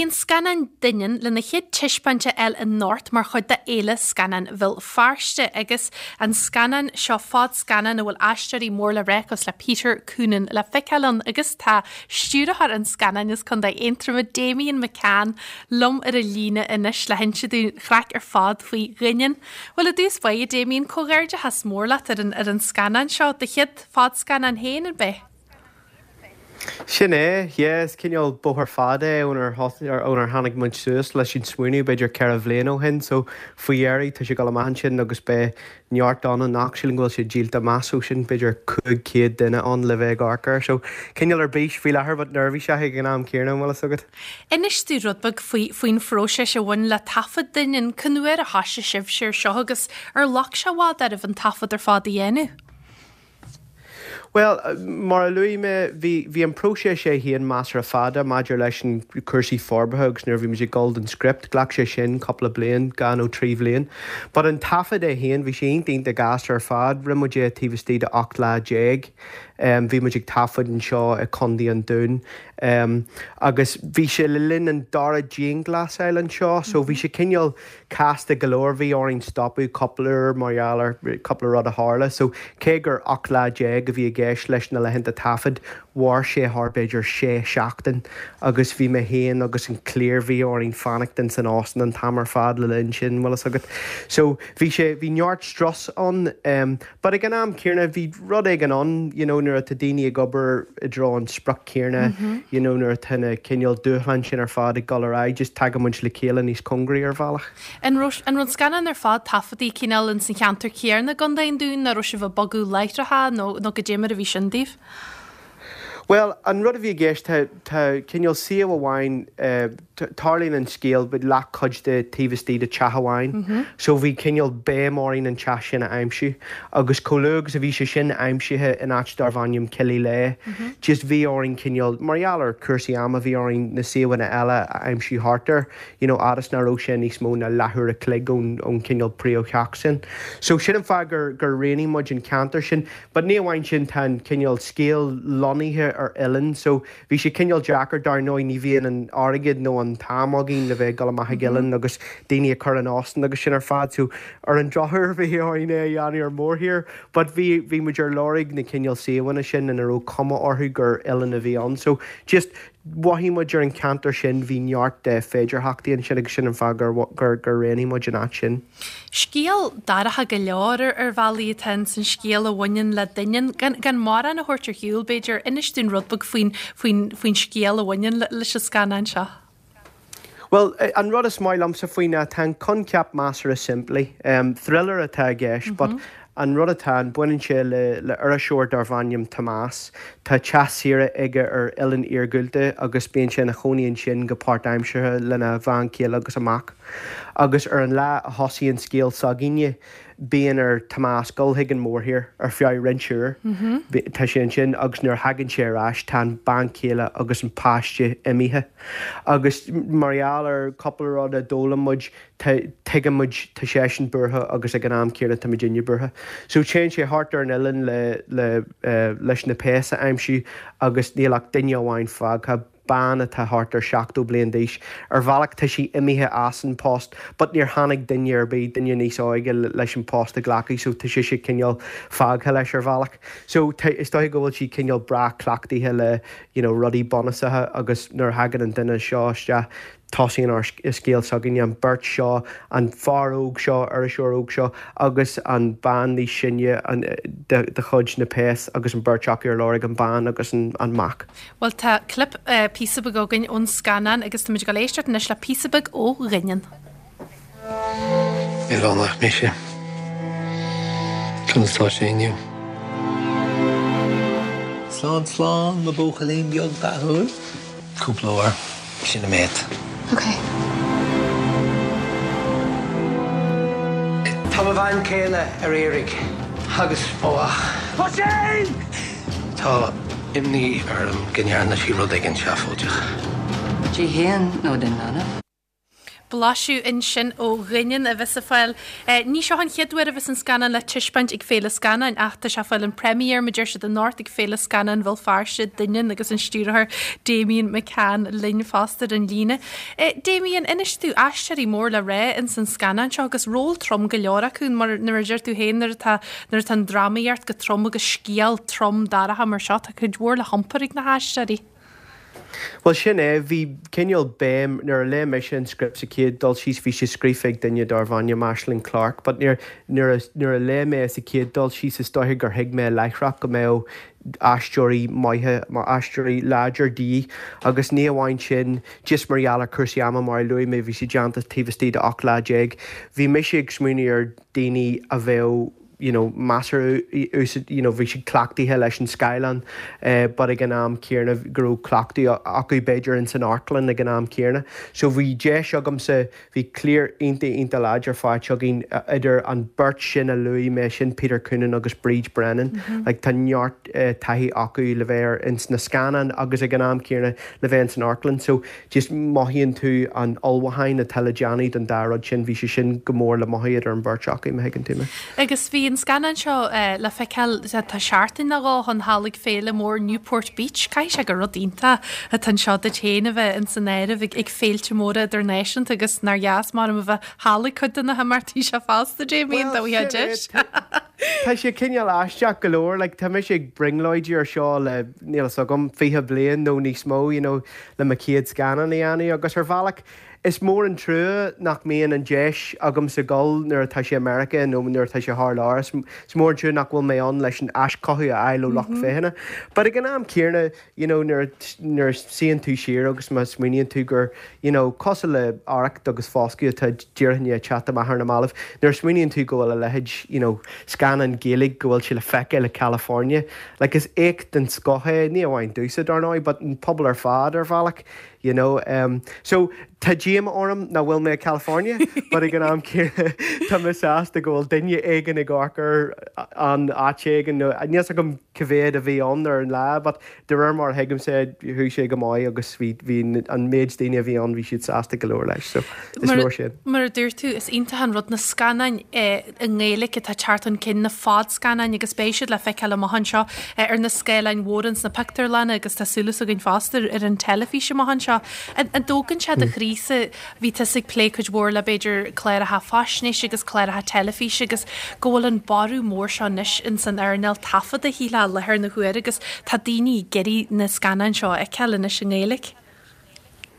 Bhuel beidh an scannán Doineann lena chéad taispeáint a fháil anocht mar chuid de Fhéile Scannán Bhéal Feirste agus an scannán seo fadscannán a bhfuil aisteoirí mór le rá cosúil le Peter Coonan le feiceáil ann agus tá stiúrthóir an scannáin as Contae Aontroma Damian McCann liom ar an líne anois le hinse dúinn craic ar fad faoi Dhoineann. Bhuel i dtús báire Damian comhghairdeachas mór leat ar an ar an scannán seo, do chéad fadscannán féin, an b'ea? Sin é, yeah, is cineál bóthar fada é ónar ónar tháinig muid suas leis an smaoineamh b'fhéidir 4 bhliain ó shin so faoi dheireadh tá sé ag dul amach ansin agus beidh neart ann anocht, sílim go bhfuil sé díolta amach so sin b'fhéidir 500 duine ann le bheith ag amharc air so cineál ar bís faoi láthair but neirbhíseach ag an am céanna an bhfuil fhios agat. Inis dúinn rud beag faoi faoin phróiseas a bhain le taifead Doineann, cén uair a thoisigh sibhse ar seo agus ar ghlac sé i bhfad oraibh an taifead ar fad a dhéanamh? Bhuel, mar a luaigh mé, bhí, bhí an próiseas é féin measartha fada maidir leis an cúrsaí forbartha agus nuair a bhí muid ag dul don script, ghlac sé sin cúpla bliain, dhá nó trí bhliain. But an taifead é féin, bhí sé iontach iontach gasta ar fad. Rinne muid é taobh istigh de 18 lá. Bhí muid ag taifead anseo i Contae an Dúin agus bhí sé le linn an dara dianghlasáil anseo so bhí sé cineál casta go leor. Bhí orainn stopadh cúpla uair mar gheall ar cúpla rud a tharla so cé gur 18 lá a bhí i gceist leis na laethanta taifid, mhair sé thar b'fhéidir sé seachtain agus bhí mé féin agus an chliar, bhí orainn fanacht in san óstán an t-am ar fad le linn sin, bhfuil fhios agat. So bhí sé, bhí neart strus ann. But ag an am céanna bhí rud éigin ann, you know, nuair atá daoine ag obair i dtreo an sprioc céanna, you know, nuair atá na cineál dúshláin sin ar fad ag dul ar aghaidh, just tagann muid le chéile níos cóngaraí ar bhealach. An raibh an raibh an scannán ar fad taifeadta cineál ins an cheantar céanna i gContae an Dúin, nó raibh sibh ag bogadh láithreacha nó nó goidé mar a bhí sin daoibh? Bhuel, an rud a bhí i gceist, tá, tá cineál suíomh amháin, tarlaíonn an scéal leathchuid de taobh istigh de teach amháin. So bhí cineál béim orainn an teach sin a aimsiú. Agus chomh luath agus a bhí sé sin aimsithe in áit darbh ainm Killyleagh, just bhí orainn cineál, mar gheall ar chúrsaí ama, bhí orainn na suíomhanna eile a aimsiú thart air, you know, fhad is nach raibh sé níos mó ná leathuair a chloig ón, ón cineál príomhtheach sin. So sin an fáth gur, gur roghnaigh muid an ceantar sin. But ní amháin sin, tá an cineál scéal lonnaithe ar oileán so bhí sé cineál deacair, dar ndóigh ní bhíonn an airgead nó an t-am againn le bheith ag dul amach ag oileán agus daoine a chur in óstán agus sin ar fad so ar an drochuair bhí orainn é a dhéanamh ar mórthír but bhí, bhí muid ar lorg na cineál suíomhanna sin ina raibh cuma orthu gur oileán a bhí ann so just Mhothaigh muid ar an cheantar sin, bhí neart de féidearthachtaí ansin agus sin an fáth gur gur gur roghnaigh muid an áit sin. Scéal dorcha go leor ar ar bhealaí atá ins an scéal a bhaineann le Doineann. Gan gan mórán a thabhairt ar shiúl, b'fhéidir, inis dúinn rud beag faoin faoin faoin scéal a bhaineann leis an scannán seo. Bhuel, an rud is maith liomsa faoi ná tá an coincheap measartha simplí. Thriller atá i gceist but an rud atá ann, baineann sé le le iriseoir darbh ainm Tomás. Tá teach saoire aige ar oileán iargúlta agus bíonn sé ina chónaí ansin go páirtaimseartha lena bhean chéile agus a mac. Agus ar an lá a thosaíonn scéal s'againne, bíonn ar Tomás dul chuig an mórthír ar feadh roinnt uair. Tá sé ansin agus nuair a thagann sé ar ais tá an bean chéile agus an páiste imithe. Agus mar gheall ar cúpla rud a d'fhoghlaim muid, tuigeann muid, tá seisean buartha agus ag an am céanna tá muidinne buartha. So téann sé thart ar an oileán le, le, leis na péas a aimsiú agus níl ach duine amháin fágtha, bean atá thart ar 70 bliain d'aois. Ar bhealach tá sí imithe as an post but níor tháinig duine ar bith, duine níos óige leis an post a ghlacadh so tá sise cineál fágtha leis ar bhealach. So tá, is dóiche go bhfuil sí cineál breá cleachtaithe le you know rudaí bunúsacha agus nuair a thagann an duine seo isteach tosaíonn ár scéal s'againne, an bheirt seo, an fear óg seo, iriseoir óg seo agus an bean níos sine de chuid na péas agus an bheirt acu ar lorg an bhean agus an mac. Bhuel tá clip, píosa beag againn ón scannán agus táimid ag dul éisteacht anois le píosa beag ó Dhoineann. Oileánach mise. Conas tá sé inniu? Slán slán, mo bhuachaillín beag dathúil. Cúpla uair, sin an méid. Ok. Tá mo bhean chéile ar iarraidh agus mo mhac. Oisín! Tá imní orm go ndearna sí rud éigin seafóideach. Di féin nó don leanbh? Blaiseadh ansin ó Dhoineann a bheas ag fáil. Ní seo an chéad uair a bheas an scannán le taispeáint ag Féile Scannáin ach tá sé ag fáil an premiere, mar a deir siad, anocht ag Féile Scannáin Bhéal Feirste, Doineann agus an stiúrthóir Damian McCann linn fosta ar an líne. Damian, inis domh, aisteoirí mór le rá ins an scannán seo agus ról trom go leor acu mar nuair a deir tú féin nuair atá nuair atá an drámaíocht go trom agus scéal trom dorcha mar seo tá cuid mhór le hiompar ag na haisteoirí. Bhuel sin é, bhí cineál béim, nuair a léigh mise an script sa chéad dul síos, bhí sé scríofa ag duine darbh ainm Aislinn Clarke, but nuair, nuair a, nuair a léigh mé sa chéad dul síos is dóiche gur thuig mé láithreach go mbeadh aisteoirí maithe, aisteoirí láidir de dhíth agus ní amháin sin, just mar gheall ar chúrsaí ama mar a luaigh mé bhí sé déanta taobh istigh de 18 lá, bhí mise ag smaoineamh ar daoine a bheadh you know measartha you know bhí siad cleachtaithe leis an scáileán but ag an am céanna go raibh cleachtadh acu b'fhéidir ins an amharclann ag an am céanna. So bhí deis agamsa, bhí cliar iontach iontach láidir faighte againn idir an beirt sin a luaigh mé, sin Peter Coonan agus Bríd Brennan. Like tá neart taithí acu le bheith ar ins na scannáin agus ag an am céanna le bheith ins an amharclann. So Just mothaíonn tú an ullmhúchán atá le déanamh don dá rud sin, bhí sé sin go mór le mothú idir an bheirt acu, má thuigeann tú mé. Agus bhí an scannán seo le feiceáil, tá seachtain nó dhó ó shin thall ag féile mór Newport Beach. Caithfidh sé gur rud iontach atá anseo duit féin a bheith ins an áireamh ag féilte móra idirnáisiúnta agus nár dheas maram a bheith thall ag cuid de na himeachtaí seo fosta, Damien, dá bhfaighfeá deis. Tá sé cineál aisteach go leor, like tá mise ag brionglóidí ar seo le, níl fhios agam, 20 bliain nó níos mó, you know, le mo chéad scannán a dhéanamh agus ar bhealach is mór an trua nach mbíonn an deis agamsa dul nuair atá sé i Meiriceá nó nuair atá sé thar lear. Is mór an trua nach bhfuil mé ann leis an aischothú a fháil ó lucht féachana. But ag an am céanna, you know, nuair nuair a suíonn tú siar agus má smaoiníonn tú gur, you know, cosúil le Arracht agus Foscadh atá díreach i ndiaidh teacht amach ar na mallaibh, nuair a smaoiníonn tú go bhfuil a leithéid, you know, scannán Gaeilge go bhfuil sé le feiceáil i California, Like is éacht den scoth é, ní amháin domhsa dar ndóigh, but an pobal ar fad ar bhealach, you know. Um, so tá díoma orm nach bhfuil mé i California, but ag an am céanna tá mé sásta go bhfuil duine éigin ag amharc air in áit éigin, nó níl 's agam cá mhéad a bhí ann ar an lá, but de réir mar a thuigimse chuaigh sé go maith agus bhí bhí an méid daoine a bhí ann bhí siad sásta go leor leis, so is leor sin. Mar a dúirt tú, is iontach an rud na scannáin i nGaeilge atá ag teacht chun cinn, na fadscannáin agus beidh siad le feiceáil amach anseo ar na scáileáin mhóra ins na pictiúrlanna agus tá súil againn fosta ar an teilifís amach anseo. An dtógann sé do chroí-sa, bhí tusa ag plé cuid mhór le b'fhéidir cláracha faisnéise agus cláracha teilifíse agus go bhfuil an borradh mór seo anois ins an earnáil taifeadta shílfeá i láthair na huaire agus tá daoine ag iarraidh na scannáin seo a fheiceáil anois i nGaeilge.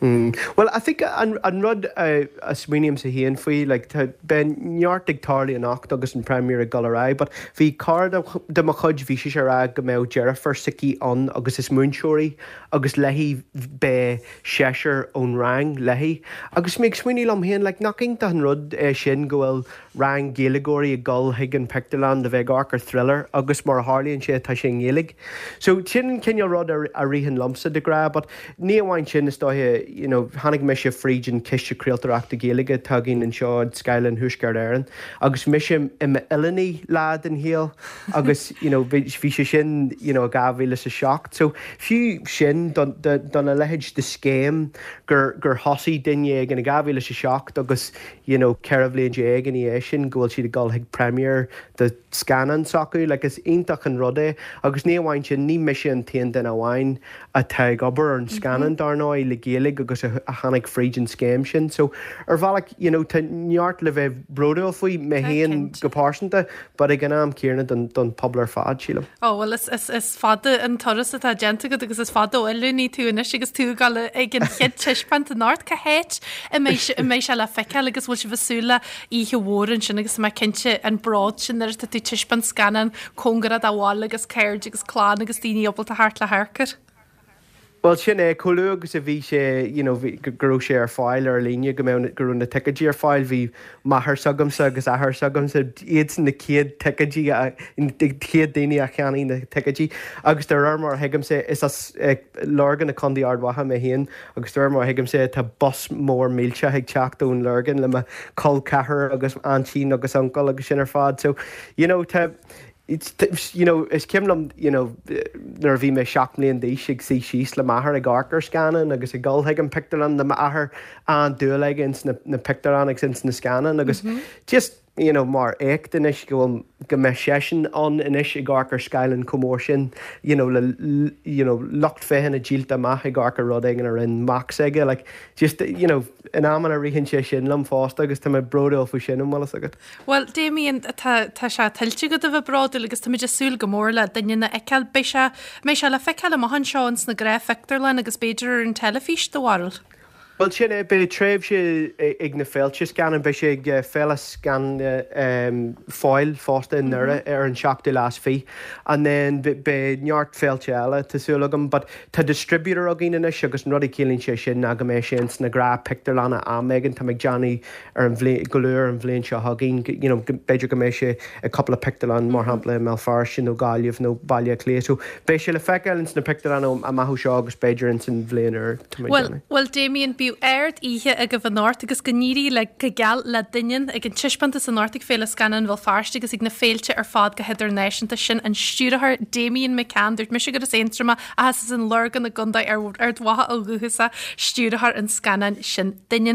Bhuel, I think an an rud a smaoinímse féin faoi, like tá, beidh neart ag tarlú anocht agus an premiere ag dul ar aghaidh, but bhí cara de mo chuid, bhí sise ag rá go mbeadh deirfiúr s'aici ann agus is múinteoir í agus léi beidh seisear ón rang léi. Agus mé ag smaoineamh liom féin, like nach iontach an rud é sin go bhfuil rang Gaeilgeoirí ag dul chuig an pictiúrlann le bheith ag amharc ar thriller agus mar a tharlaíonn sé tá sé i nGaeilge. So sin an cineál rud a a ritheann liomsa de ghnáth but ní amháin sin is dóiche you know tháinig mise fríd an Ciste Craoltóireachta Gaeilge atá againn anseo i Scáileán Thuaisceart Éireann agus mise i m'oileánaí lá den shaol agus you know bhí bhí sé sin you know i 2007 so fiú sin don don a leithéid de scéim gur gur thosaigh duine éigin i 2007 agus you know 14 bhliain ina dhiaidh sin go bhfuil siad ag dul chuig premiere de scannán s'acu, like is iontach an rud é agus ní amháin sin, ní mise an t-aon duine amháin atá ag obair ar an scannán dar ndóigh le Gaeilge agus a tháinig fríd an scéim sin so ar bhealach you know tá neart le bheith bródúil faoi, mé féin go pearsanta but ag an am céanna don don pobal ar fad sílim. Ó bhuel is is is fada an turas atá déanta agat agus is fada ó oiliúnaí tú anois agus tú ag dul ag an chéad taispeáint anocht. Cá háit a mbeidh a mbeidh sé le feiceáil agus bhfuil sibh ag súil le oíche mhór ansin agus tá mé cinnte an bród sin nuair atá tú ag taispeáint scannán cóngarach do bhaile agus cairde agus clann agus daoine ábalta theacht le hamharc air. Bhuel, sin é, chomh luath agus a bhí sé, you know, bhí, go raibh sé ar fáil ar líne, go mbeadh, go raibh na ticéidí ar fáil, bhí máthair s'agamsa agus athair s'agamsa, iadsan na chéad ticéidí, na chéad daoine a cheannaigh na ticéidí agus de réir mar a thuigimse, is as Lurgan i Contae Ard Mhacha mé féin agus de réir mar a thuigimse tá bus mór millteach ag teacht ón Lurgan le mo chol ceathrar agus aintín agus uncail agus sin ar fad so, you know, tá. You know, is cuimhin liom, you know, nuair a bhí mé 7 mbliain d'aois ag suí síos le m'athair ag amharc ar scannáin agus ag dul chuig an pictiúrlann le m'athair, an-dúil aige ins na, na pictiúrlanna agus ins na scannáin agus just, you know, mar éacht anois go bhfuil, go mbeidh seisean ann anois ag amharc ar scáileán chomh mór sin, you know, le, you know, lucht féachana díolta amach ag amharc ar rud éigin a rinne mac s'aige, like, just, you know, in amanna ritheann sé sin liom fosta agus tá mé bródúil faoi sin, an bhfuil fhios agat. Bhuel, Damien, tá, tá sé tuillte agat a bheith bródúil agus táimid ag súil go mór le Doineann a fheiceáil. Beidh sé, mbeidh sé le feiceáil amach anseo ins na gnáthphictiúrlanna agus b'fhéidir ar an teilifís, do bharúil? Bhuel, sin é, beidh tréimhse ag na féilte scannán, beidh sé ag Féile Scannán Fáil fosta i nDoire ar an seachtú lá is fiche and then beidh neart féilte eile, tá súil agam, but tá distributor againn anois agus an rud a chiallaíonn sé sin ná go mbeidh sé ins na gnáthphictiúrlanna am éigin, tá mé ag déanamh ar an bhliain, go luath ar an bhliain seo chugainn, you know, b'fhéidir go mbeidh sé ag cúpla pictiúrlann, mar shampla i mBéal Feirste nó Gaillimh nó Baile Átha Cliath. So beidh sé le feiceáil ins na pictiúrlanna amach ó seo agus b'fhéidir ins an bhliain úr, tá mé ag déanamh. Bhuel, Damien, bíodh ard oíche agaibh anocht agus go n-éirí le go geal le Doineann ag an taispeántas anocht ag Féile Scannán Bhéal Feirste agus ag na féilte ar fad go hidirnáisiúnta. Sin an stiúrthóir Damien McCann. Dúirt mise gur as Aontroma ach is as an Lorgain i gContae Ard Mhacha ó dhúchas é, stiúrthóir an scannáin sin Doineann.